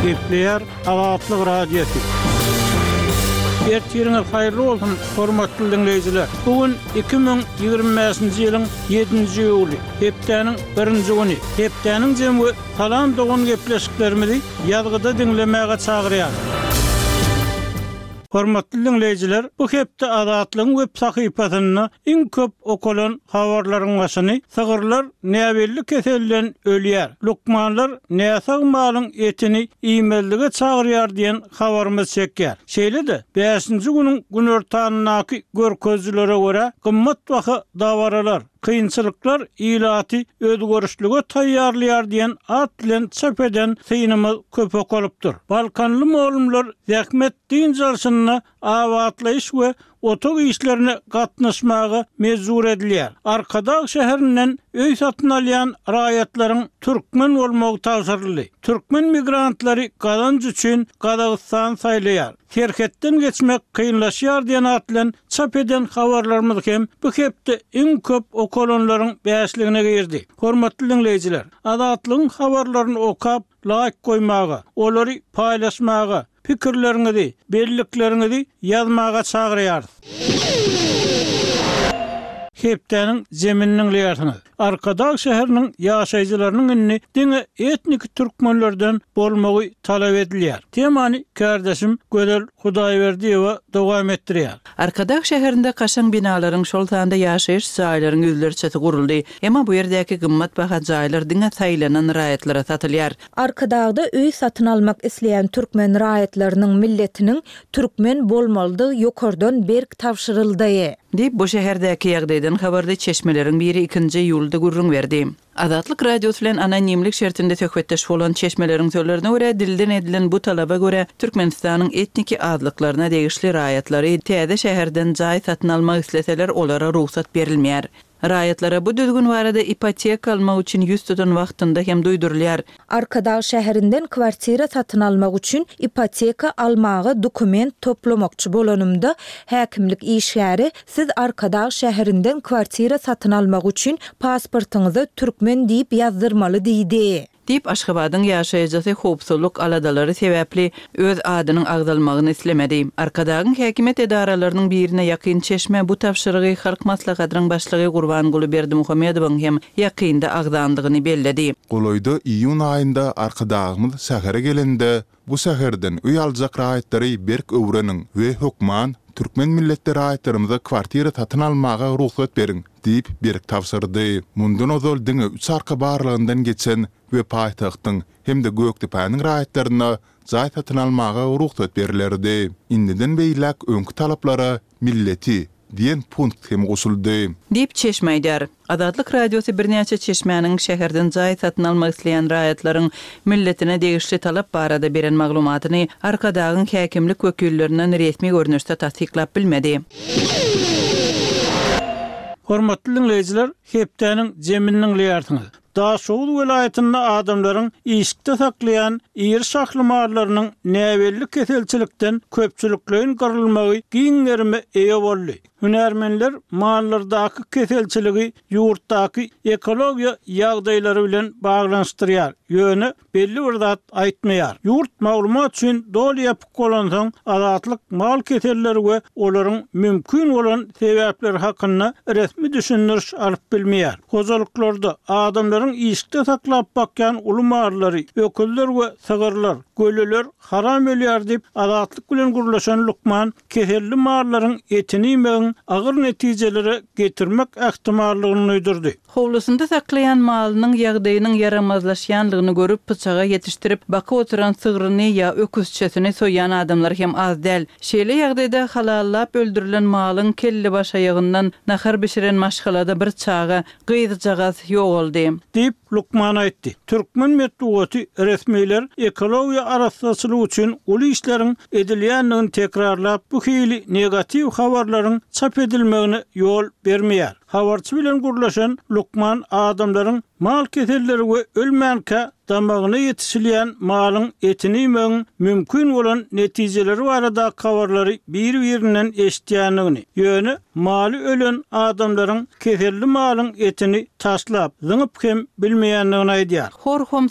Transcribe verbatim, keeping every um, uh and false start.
Gepleýär Azatlyk Radiosy. Ertiriňiz haýyrly bolsun, hormatly diňleýjiler. Bu gün iki müň ýigrimi bäşinji ýylyň ýedinji iýuly, hepdäniň birinji güni. Hepdäniň jemi we Salam dogan gepleşiklerimizi ýazgyda diňlemäge çagyrýar. Hormatly diňleýjiler, bu hepde Azatlygyň web sahypasynda iň köp okalan habarlaryň başyny sygyrlar näbelli keselden ölýär, lukmanlar näsag malyň etini iýmezlige çagyrýar diýen habarymyz çekýär. Şeýle-de, bäşinji günüň günortanyndaky görkezijilere görä, gymmat baha dabaralar, kynçylyklar ilaty özgerişlige taýýarlaýar diýen at bilen çap eden synymyz köp okalypdyr. Balkanly mugallymlar zähmet dynç alşynda abatlaýyş we otag işlerine gatnaşmaga mejbur edilýär. Arkadag şäherinden öý satyn alýan raýatlaryň türkmen bolmagy tabşyryldy. Türkmen migrantlary gazanç üçin Gazagystany saýlaýar. Serhetden geçmek kynlaşýar diýen at bilen çap eden habarlarymyz hem bu hepde iň köp okalanlaryň bäşligine girdi. Hormatly diňleýjiler, Azatlygyň habarlaryny okap, laýk goýmaga, olary paýlaşmaga, pikirleriňizi, bellikleriňizi ýazmaga çagyrýarys. Hepdäniň zemini diňleýärsiňiz. Arkadag şäheriniň ýaşaýjylarynyň indi diňe etniki türkmenlerden bolmagy talap edilýär. Temany kärdeşim Gözel Hudaýberdiýewa dowam etdirýär. Arkadag şäherinde kaşaň binalaryň, şol sanda ýaşaýyş jaýlaryň ýüzlerçesi guruldy. Emma bu ýerdäki gymmat baha jaýlar diňe saýlanan raýatlara satylýar. Arkadagda öý satyn almak isleýän türkmen raýatlarynyň milletiniň türkmen bolmalydygy ýokardan berk tabşyryldy. Diýip, bu şäherdäki ýagdaýdan habarly çeşmeleriň biri ikinji iýulda gürrüň berdi. Azatlyk Radiosy bilen anonimlik şertinde söhbetdeş bolan çeşmeleriň sözlerine görä, dilden edilen bu talaba görä, Türkmenistanyň etniki azlyklaryna degişli raýatlary täze şäherden jaý satyn almak isleseler, olara rugsat berilmeýär. Raýatlara bu düzgün barada ipoteka almak üçin ýüz tutan wagtynda hem duýdurylýar. Arkadag şäherinden kwartira satyn almak üçin ipoteka almaga dokument toplamakçy bolanymda, häkimlik işgäri Siz Arkadag şäherinden kwartira satyn almak üçin pasportyňyza türkmen diýip ýazdyrmaly diýdi. Diýip, Aşgabadyň ýaşaýjysy howpsuzlyk aladalary sebäpli öz adynyň agzalmagyny islemedi. Arkadagyň häkimiýet edaralarynyň birine ýakyn çeşme bu tabşyrygy Halk Maslahatynyň Başlygy Gurbanguly Berdimuhamedowyň hem ýakynda agzandygyny belledi. Golaýda iýun aýynda Arkadagymyz şähere gelende, bu şäherden öý aljak raýatlary berk öwreniň we hökman türkmen milletli raýatlarymyza kwartira satyn almaga rugsat beriň diýip berk tabşyrdy. Mundan ozal diňe üç arka barlagyndan geçen we paýtagtyň hem-de Gökdepäniň raýatlaryna jaý satyn almaga rugsat berlerdi. Indiden beýläk öňki talaplara milleti diýen punkt hem goşuldy. Diýip, çeşme aýdýar. Azatlyk Radiosy birnäçe çeşmäniň şäherden jaý satyn almak isleýän raýatlaryň milletine degişli talap barada beren maglumatyny Arkadagyň häkimlik wekillerinden resmi görnüşde tassyklap bilmedi. Hormatly diňleýjiler, hepdäniň jemini diňleýärsiňiz. Daşoguz welaýatynda adamlaryň işikde saklaýan iri şahly mallarynyň näbelli keselçilikden köpçülikleýin gyrylmagy giň gerime eýe boldy. Hünärmenler mallardaky keselçiligi ýurtdaky ekologiýa ýagdaýlary bilen baglanyşdyrýar, ýöne belli bir zat aýtmaýar. Ýurt maglumat üçin doly ýapyk bolansoň, Azatlyk mal keselleri we olaryň mümkin bolan sebäpleri hakynda resmi düşündiriş alyp bilmeýär. Hojalyklarda adamlaryň işikde saklap bakýan uly mallary, öküzler we sygyrlar, göleler haram ölýär diýip, Azatlyk bilen gürleşen lukman keselli mallaryň etini iýmegiň agyr netijelere getirmek ähtimallygyny duýdurdy. Howlusynda saklaýan malynyň ýagdaýynyň ýaramazlaşýanlygyny görüp, pyçaga ýetişdirip, bakyp oturan sygryny ýa öküzçesini soýýan adamlar hem az däl. Şeýle ýagdaýda halallap öldürilen malyň kellebaşaýagyndan nahar bişiren maşgalada bir çaga, gyzjagaz ýogaldy. Diýip, lukman aýtdy. Türkmen metbugaty resmiler ekologiýa arassaçylygy üçin uly işleriň edilýändigini tekrarlap, bu hili negatiw habarlaryň çap edilmegine ýol bermeýär. Habarçy bilen gürleşen lukman adamlaryň mal keselleri we ölmänkä damagyna ýetişilýän malyň etini iýmegiň mümkin bolan netijeleri baradaky habarlary bir-birinden eşidýändigini, ýöne maly ölen adamlaryň keselli malyň etini taşlap, zyňyp hem bilmeýändigini aýdýar. Hor-homsy